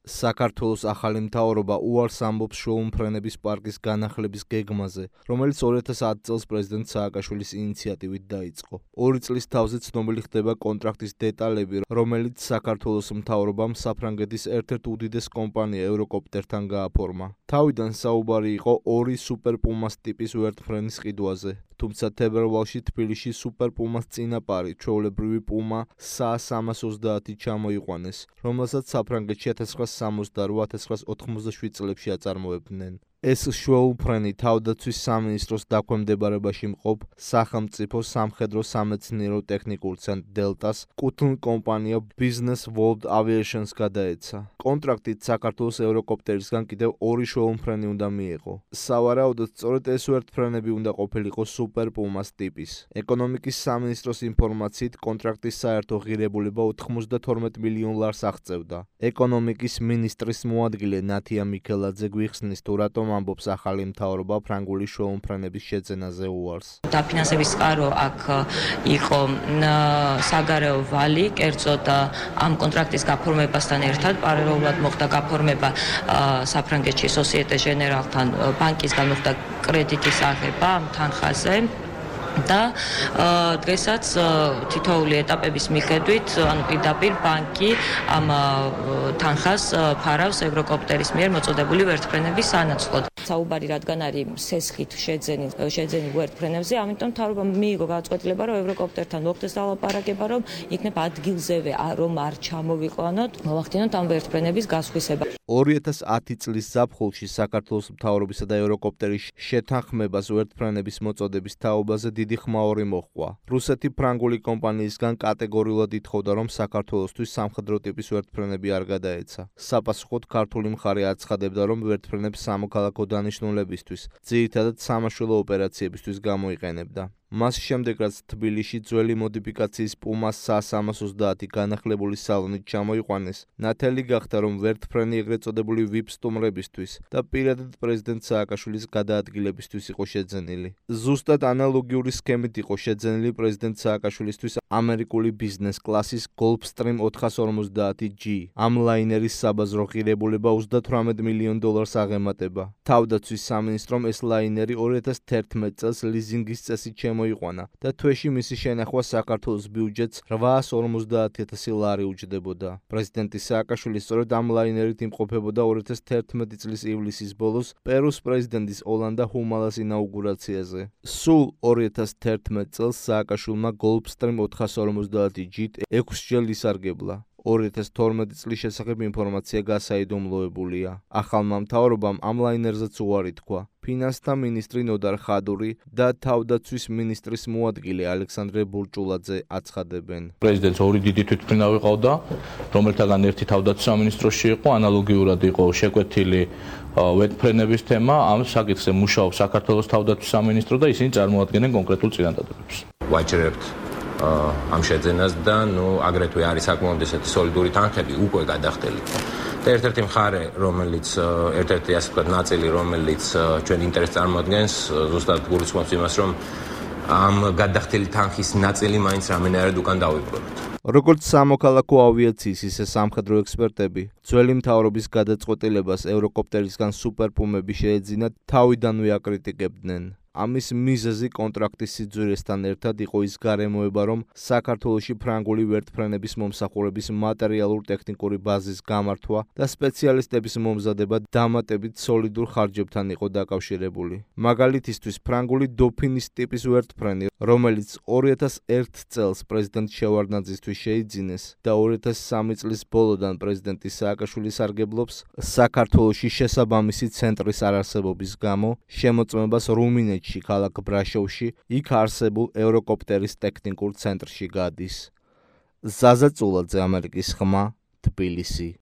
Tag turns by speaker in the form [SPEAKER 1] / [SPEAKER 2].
[SPEAKER 1] საქართველოს ახალი მთავრობა უარს ამბობს შოუმფრენების პარკის განახლების გეგმაზე, რომელიც 2010 წელს პრეზიდენტ სააკაშვილის ინიციატივით დაიწყო. 2 წლის თავზე ცნობილი ხდება კონტრაქტის დეტალები, რომელიც საქართველოს მთავრობამ საფრანგეთის ერთ-ერთ უდიდეს კომპანია ევროკოპტერთან გააფორმა. თავიდან საუბარი იყო 2 სუპერ პუმას ტიპის ვერტმფრენის ყიდვაზე. თუმცა თებერვალში თბილისში სუპერ პუმას წინაპარი, ჩვეულებრივი პუმა SA-330 ჩამოიყვანეს, რომელსაც საფრანგეთში 1968-1987 წლებში აწარმოებდნენ. ეს შოუმფრენი თავდაცვის სამინისტროს დაქვემდებარებაში მყოფ სახელმწიფო სამხედრო სამეცნიერო ტექნიკურ ცენტრ დელტას კუთვნილ კომპანია Business World Aviations გადაეცა. კონტრაქტით საქართველოს ევროკოპტერისგან კიდევ 2 შოუმფრენი უნდა მიეღო. სავარაუდოდ სწორედ ეს ვერტმფრენები უნდა ყოფილიყო სუპერ პუმას ტიპის. ეკონომიკის სამინისტროს ინფორმაციით კონტრაქტის საერთო ღირებულება 92 მილიონ ლარს აღწევდა. ეკონომიკის მინისტრის მოადგილე ნათია მიქელაძე გვიხსნის თუ რატომ ამბობს ახალი მთავრობა ფრანგული შოუმფრენების შეძენაზე უარს.
[SPEAKER 2] დაფინანსების წყარო აქ იყო საგარეო ვალი, კერძოდ ამ კონტრაქტის გაფორმებასთან ერთად პარალელურად მოხდა გაფორმება საფრანგეთში Société Générale-თან ბანკისგან მოხდა კრედიტის აღება ამ თანხაზე. და დღესაც თითოეული ეტაპების მიხედვით, ანუ პირდაპირ ბანკი ამ თანხას ფარავს ევროკოპტერის მიერ მოწოდებული ვერტმფრენების სანაცვლოდ. საუბარი რადგან არის სესხით შეძენილ ვერტმფრენებზე, ამიტომ მთავრობამ მიიღო გადაწყვეტილება, რომ ევროკოპტერთან მოხდეს ლაპარაკება, რომ იქნებ ადგილზევე რომ არ ჩამოვიყვანოთ, მოვახდინოთ ამ ვერტმფრენების გასხვისება.
[SPEAKER 1] 2010 წლის ზაფხულში საქართველოს მთავრობისა და ევროკოპტერის შეთანხმებას ვერტმფრენების მოწოდების თაობაზე დიდი ხმაური მოჰყვა. რუსეთი ფრანგული კომპანიისგან კატეგორიულად ითხოვდა, რომ საქართველოსთვის სამხედრო ტიპის ვერტმფრენები არ გადაეცა. საპასუხოდ ქართული მხარე აცხადებდა, რომ ვერტმფრენებს სამოქალაქო დანიშნულებისთვის, ძირითადად სამაშველო ოპერაციებისთვის გამოიყენებდა. მას შემდეგ, რაც თბილისში ძველი მოდიფიკაციის პუმა SA-330 განახლებული სალონით ჩამოიყვანეს, ნათელი გახდა, რომ ვერტმფრენი ეგრეთ წოდებული VIP სტუმრებისთვის და პირადად პრეზიდენტ სააკაშვილის გადაადგილებისთვის იყო შეძენილი. ზუსტად ანალოგიური სქემით იყო შეძენილი პრეზიდენტ სააკაშვილისთვის ამერიკული ბიზნეს კლასის Gulfstream 450G. ამ ლაინერის საბაზრო ღირებულება 38 მილიონ დოლარს აღემატება. თავდაცვის სამინისტრომ ეს ლაინერი 2011 წელს ლიზინგის წესით მოიყვანა და თვეში მისი შენახვა საქართველოს ბიუჯეტს 850,000 ლარი უჯდებოდა. პრეზიდენტი სააკაშვილი სწორედ ამ ლაინერით იმყოფებოდა 2011 წლის ივლისის ბოლოს პერუს პრეზიდენტის ოლანდა ჰუმალას ინაუგურაციაზე. სულ 2011 წელს სააკაშვილმა Gulfstream 450G-ით 6-ჯერ ისარგებლა. 2012 წლის შესახებ ინფორმაცია გასაიდუმლოებულია. ახალმა მთავრობამ ამ ლაინერზეც უარი თქვა. ფინანსთა მინისტრი ნოდარ ხადური და თავდაცვის მინისტრის მოადგილე ალექსანდრე ბურჭულაძე აცხადებენ.
[SPEAKER 3] პრეზიდენტს 2 დიდი თვითმფრინავი ყავდა, რომელთაგან ერთი თავდაცვის სამინისტროში იყო, ანალოგიურად იყო შეკვეთილი ვერტმფრენების თემა. ამ საკითხზე მუშაობს საქართველოს თავდაცვის სამინისტრო და ისინი წარმოადგენენ კონკრეტულ წინადადებებს.
[SPEAKER 4] ვაჭრებთ ამ შეძენას და აგრეთვე არის საკმაოდ ესეთი სოლიდური თანხები უკვე გადახდელი. და ერთ-ერთი მხარე, რომელიც ერთ-ერთი ასე ვთქვათ ნაწილი, რომელიც ჩვენ ინტერესს წარმოადგენს, ზუსტად გულისხმობს იმას, რომ ამ გადახდელი თანხის ნაწილი მაინც რამენერად უკან დავიბრუნოთ.
[SPEAKER 1] როგორც სამოქალაქო ავიაციის, ისე სამხედრო ექსპერტები, ძველი მთავრობის გადაწყვეტილებას ევროკოპტერისგან სუპერ პუმები შეეძინათ, თავიდანვე აკრიტიკებდნენ. ამის მიზეზი კონტრაქტის სიძვირესთან ერთად იყო ის გარემოება, რომ საქართველოში ფრანგული ვერტმფრენების მომსახურების მატერიალურ-ტექნიკური ბაზის გამართვა და სპეციალისტების მომზადება დამატებით სოლიდურ ხარჯებთან იყო დაკავშირებული. მაგალითისთვის, ფრანგული დოფინის ტიპის ვერტმფრენი, რომელიც 2001 წელს პრეზიდენტ შევარდნაძისთვის შეიძინეს და 2003 წლის ბოლოდან პრეზიდენტი სააკაშვილი სარგებლობს, საქართველოში შესაბამისი ცენტრის არარსებობის გამო შემოწმებას რუმინეთში ქალაქ ბრაშოვში, იქ არსებულ ევროკოპტერის ტექნიკურ ცენტრში გადის. ზაზა წულაძე, ამერიკის ხმა, თბილისი.